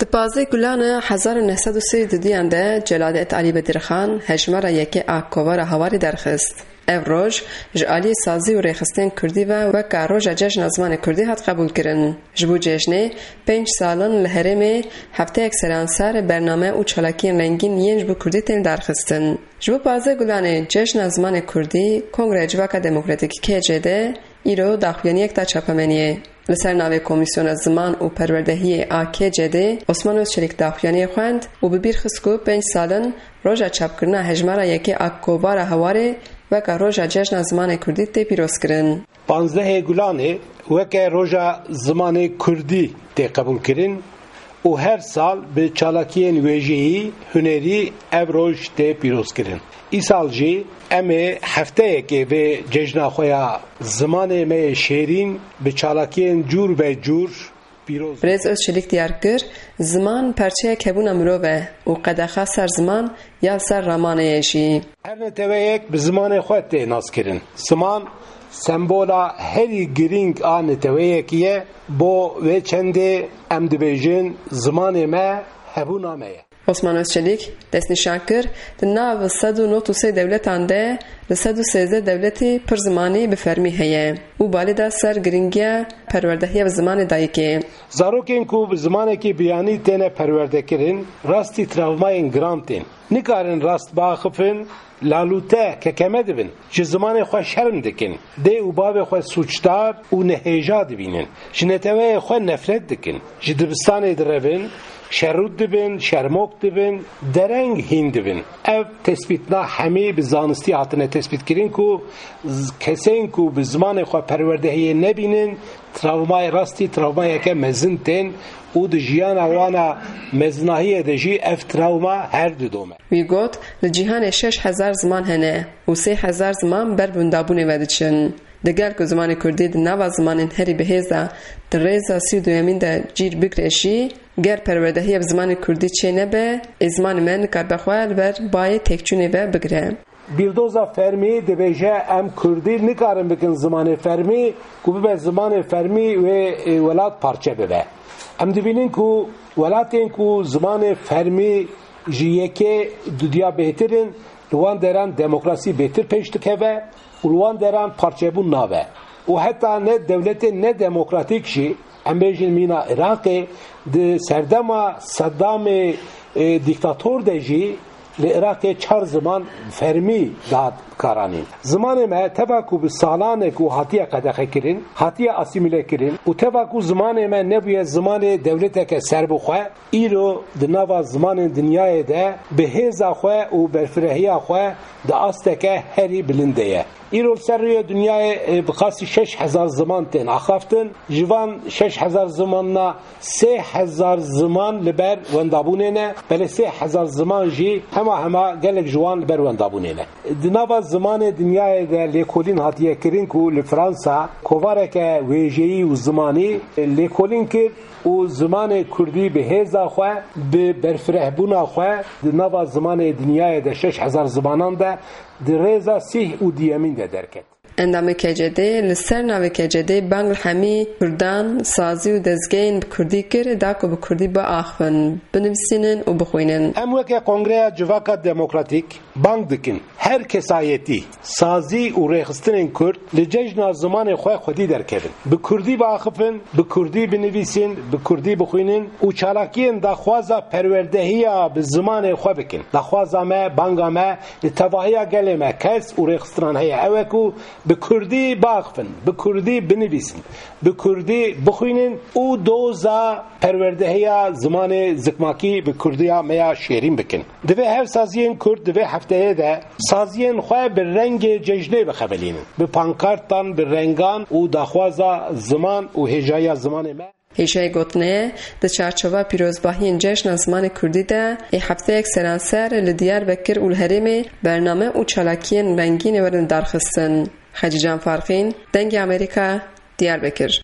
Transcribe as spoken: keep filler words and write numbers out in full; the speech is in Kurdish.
Di pazdeh Gulana hezar û neh sed û sî û duyan de Celadet Alî Bedirxan hejmara yekê a Kovara Hawarê derxist. Ev roj ji aliyê sazî û rêxistên kurdî ve weka roja cejna zimanê kurdî hat qebûlkirin. Ji bo cejnê pênc sal in li herêmê hefteyek seranser bername û çalakiyên rengîn yên ji bo kurdî tên darxistin. Ji bo pazdeh Gulanê cejna zimanê kurdî Kongreya Civaka Demokratîk, K C D, îro daxuyaniyek da çapemeniyê. Li ser navê Komîsyona Ziman û Perwerdehiyê a K C D, Osman Özçelik daxuyaniyê xwend û bi bîr xist ku pênc sal in roja çapkirina hejmara yekê a Kovara Hawarê weka roja cejna zimanê kurdî tê pîrozkirin. Panzdehê Gulanê weke roja zimanê kurdî tê qebûlkirin û her sal bi çalakiyên wêjeyî, hunerî ev roj tê pîrozkirin. Îsal jî em ê hefteyekê vê cejna xwe ya zimanê me yê şêrîn bi çalakiyên cûr be cûr pîroz. Birêz Özçelik diyar kir, ziman parçeyek hebûna mirov e û qedexa ser ziman ya li ser ramanê ye jî. Her neteweyek bi zimanê xwe tê naskirin. Ziman sembola herî girîng a neteweyekî ye. Bo vê çendê em dibêjin zimanê me hebûna me ye. Osman Özçelik destnîşan kir, di nav sed û nod û sê dewletan de li sed û sêzdeh dewletî pir zimanî bi fermî heye û balê da ser giringiya perwerdehiya bi zimanê dayikê. Zarokên ku bi zimanekî biyanî têne perwerdekirin, rastî travmayên giran tên. Nikarin rast biaxifin, lalûte, kekeme dibin. Ji zimanê xwe şerm dikin. Dê û bavê xwe sûcdar û nehêja dibînin. Ji neteweyê xwe nefret dikin. Ji dibistanê direvin, şerrût dibin, şermok dibin, dereng hîn dibin. Ev tespîtna hemî bi zanistî hatine tespîtkirin ku z-, kesên ku bi zimanê xwe perwerdehiyê nebînin, travmayê rastî travmayeke mezin tên û di jiyana wana mezinahiyê de jî ev travma her didome. Wî got, li cîhanê şeş hezar ziman hene û sê hezar ziman ber bi windabûnê ve diçin. Digel ku zimanê kurdî di nava zimanên herî bihêz de di rêza sî û duyemîn de cîr bigre jî, ger perwerdehiya bi zimanê kurdî çê nebe, ê zimanê me nikaribe xwe li ber bayê têkçûnê ve bigire. Bîrdoza fermî dibêje, em kurdî nikarin bikin zimanê fermî, ku bibe zimanê fermî wê, e, welat parçe bibe. Em dibînin ku welatên ku zimanê fermî ji yekê dudiya bêhtir in, li wan deran demokrasî bêhtir pêş dikeve û li wan deran parçebûn nabe. Û heta ne dewletên nedemokratîk jî, em bêjin mîna Iraqê, di serdema Seddamê, e, dîktator de jî li Iraqê çar ziman fermî dihat karanîn. Zimanê me teva ku bi salan e ku hatiye qedexekirin, hatiye asîmîlekirin û teva ku zimanê me nebûye zimanê dewleteke serbixwe, îro di nava zimanên dinyayê de bi hêza xwe û berfirehiya xwe di asteke herî bilind de ye. Îro li ser rûyê dinyayê, e, bi qasî şeş hezar ziman tên axaftin. Ji van şeş hezar zimanna sê hezar ziman li ber wendabûnê ne, belê sê hezar ziman jî hema hema gelek ji wan li ber wendabûnê ne. Di nava zimanê dinyayê de lêkolîn hatiye kirin ku li Fransa kovareke wêjeyî û zimanî lêkolîn kir û zimanê kurdî bi hêza xwe, bi berfirehbûna xwe di nava zimanê dinyayê de şeş hezar zimanan de di rêza sîh û diyemîn de derket. Endamê K C D li ser navê K C D bang li hemî kurdan, sazî û dezgehên bi kurdî kir, da ku bi kurdî biaxivin, binivîsînin û bixwînin. Em weke Kongreya Civaka Demokratîk bang dikin, her kesayetî, sazî û rêxistinên kurd li cejna zimanê xwe xwedî derkevin. Bi kurdî biaxifin, bi kurdî binivîsin, bi kurdî bixwînin û çalakiyên daxwaza perwerdehiya bi zimanê xwe bikin. Daxwaza me, banga me, li tevahiya gelê me kes û rêxistinan heye, ew e ku bi kurdî biaxifin, bi kurdî binivîsin, bi kurdî bixwînin û doza perwerdehiya zimanê zikmakî bi kurdiya me ya şêrîn bikin. Divê her saziyên kurd di vê hefteyê de saziyên xwe bi rengê cejnê bixebelînin, bi pankartan, bi rengan û daxwaza ziman û hêjayiya zimanê me. Hêjayî gotinê ye, di çarçova pîrozbahiyên Cejna Zimanê Kurdî de ê hefteyek seranser li Diyarbekir û li herêmê bername û çalakiyên rengîn ê werin darxistin. Xecîcan Farqîn, Dengê Amerîka, Diyarbekir.